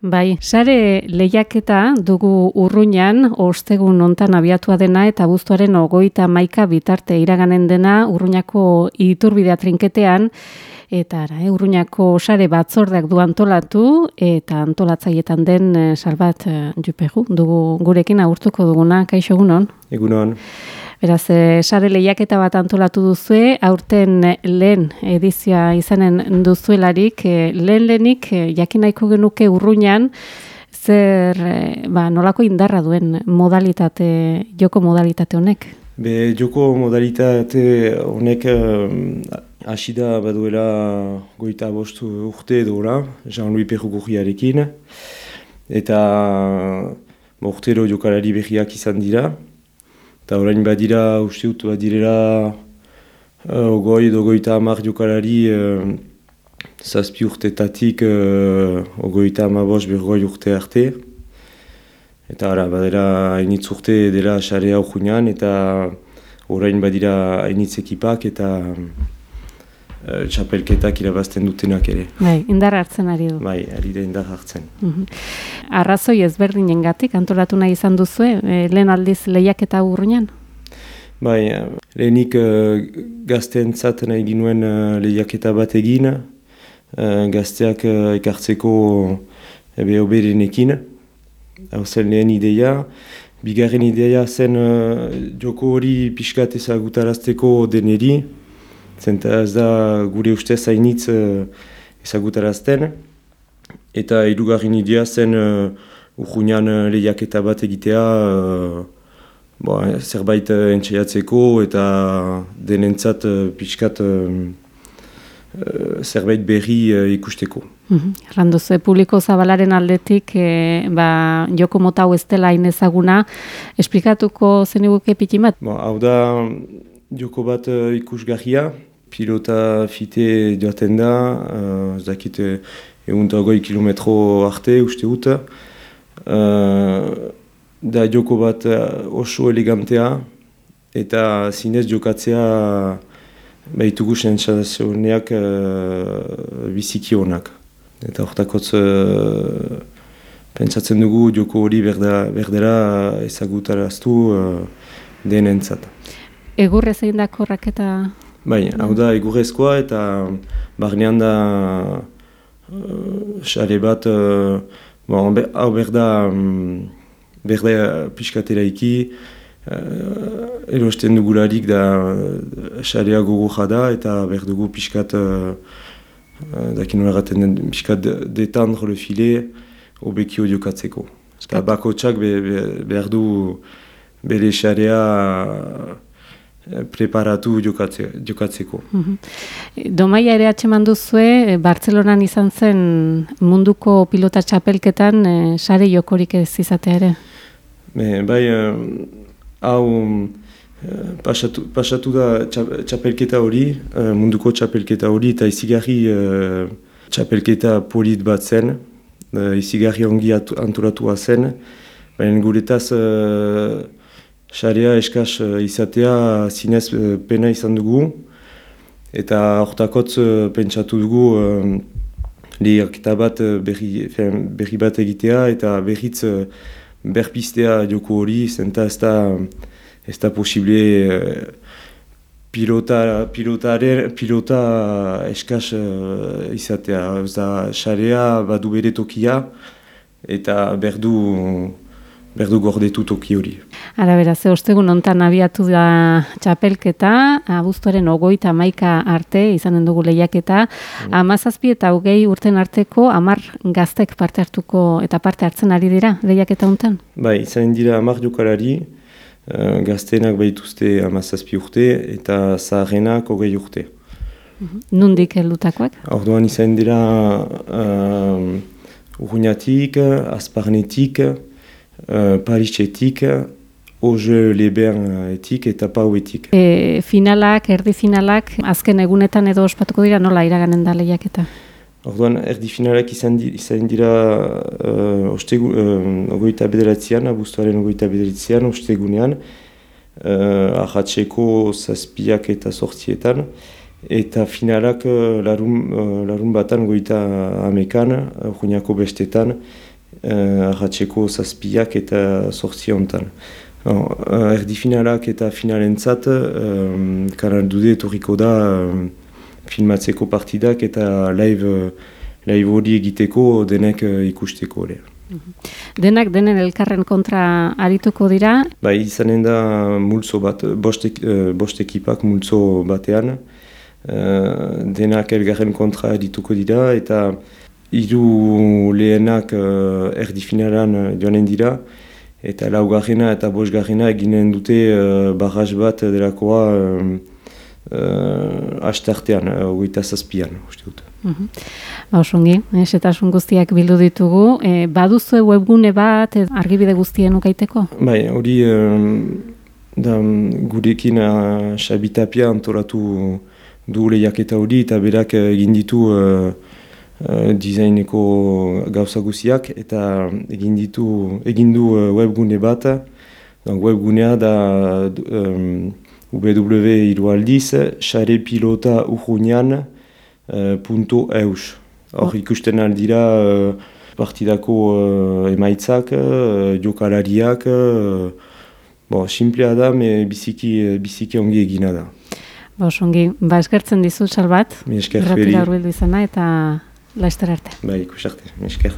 Bai, sare lehiaketa dugu Urruñan, ostegun hontan abiatua dena eta abuztuaren 31 bitarte iraganen dena Urruñako iturbidea trinketean, eta Urruñako sare batzordeak du antolatu, eta antolatzaietan den Salvat Jupeju dugu gurekin agurtuko duguna. Kaixo, egunon? Egunon. Beraz, sare lehiaketa bat antolatu duzue, aurten lehen edizioa izanen duzuelarik, lehenik jakin nahiko genuke Urruñan, zer nolako indarra duen joko modalitate honek? Joko modalitate honek hasi da baduela 25 urte edola, Jean-Louis Perugurriarekin, eta urtero jokalari berriak izan dira. Eta orain badira, uste dut, badirela 50 jokalari zazpi urtetatik 55 urte arte. Eta badira hainitz urte dela sarea Urruñan, eta orain badira hainitz ekipak eta txapelketak irabazten dutenak ere. Bai, indar hartzen ari du. Bai, ari da indar hartzen. Arrazoi ezberdinengatik antolatu nahi izan duzue, lehen aldiz lehiaketa Urruñan? Bai, lehenik gazteentzat nahi ginuen lehiaketa bat egin, gazteak ekartzeko hoberenekin. Hau zen lehen ideia. Bigarren ideia zen joko hori pixkat ezagutarazteko deneri, zenta ez da gure ustez hainitz ezagutarazten. Eta hirugarren idea zen Urruñan lehiaketa bat egitea zerbait entxeiatzeko eta denentzat pixkat zerbait berri ikusteko. Erranduzu, publiko zabalaren aldetik joko mota hau ez dela hain ezaguna, esplikatuko zeniguke pitin bat? Hau da joko bat ikusgarria, pilota fite joaten da, ez dakit 120 kilometro arte uste dut. Da joko bat oso elegantea eta zinez jokatzea behitugu sensazioneak biziki honak. Eta hortakotz pentsatzen dugu joko hori berdera ezagutaraztu denentzat. Egurrez egin dako raketa? Bai, hau da egurrezkoa eta barnean da sare bat, hau berda pixkatera iki, erosten dugularik da sarea gogorra da eta berdugu pixkat, dakin horregaten den pixkat detendre le filet hobekio jokatzeko. Eta bakotsak behar du bere sarea preparatu jokatzeko. Domaia ere atxeman duzue, Bartzelonan izan zen munduko pilota txapelketan sare jokorik ez izatea ere? Bai, hau pasatu da txapelketa hori, munduko txapelketa hori, eta izigarri txapelketa polit bat zen, izigarri ongi antolatua zen, baina guretaz sarea eskaz izatea zinez pena izan dugu, eta hortakotz pentsatu dugu lehiaketa bat berri bat egitea eta berriz berpistea joko hori, zenta ez da posible pilota eskaz izatea. Ez da sarea badu bere tokia eta berdu gordetu toki hori. Ara beraz, ostegun hontan abiatu da txapelketa, abuztuaren 31 arte izanen dugu lehiaketa, 17 eta 20 urten arteko 10 gaztek parte hartuko eta parte hartzen ari dira lehiaketa hontan? Bai, izanen dira 10 jokalari, gazteenak baituzte 17 urte eta zaharrenak 20 urte. Nondik heldutakoak? Orduan izanen dira Urruñatik, Azparnetik, Parisetik, Auge-les-Bains-etik eta Pauetik. Finalak, erdi finalak, azken egunetan edo ospatuko dira, nola iraganen da lehiaketa? Orduan, erdi finalak izan dira ogoita bederatzean, abuztuaren ogoita bederatzean, ostegunean, ahatzeko 7 eta 8, eta finalak larun batan goita 10, Urruñako bestetan, arratseko 7 eta 8 hontan. Erdi finalak eta finalentzat Kanal Dude etorriko da filmatzeko partidak eta live hori egiteko denek ikusteko. Denak denen elkarren kontra arituko dira? Bai, izanen da multzo bat, bost ekipak multzo batean. Denak elgarren kontra arituko dira eta 3 lehenak erdi finalan joanen dira. Eta 4. eta 5. eginen dute barraz bat delakoa astartean, 27an, uste dut. Osongi, esetasun guztiak bildu ditugu. Baduzue webgune bat argibide guztien ukaiteko? Bai, hori gurekin Xabi Tapia antolatu du lehiaketa hori eta berak egin ditu designeko gauza guziak eta egin du webgune bat. Webgunea da www.sarepilotauruñan.eus. Hor ikusten aldira partidako emaitzak, jokalariak, simplea da, biziki ongi egina da. Osongi, eskertzen dizut, Salbat. Mi esker, Errapira hurbildu izana eta laster arte. Bai, ikus arte, mi esker.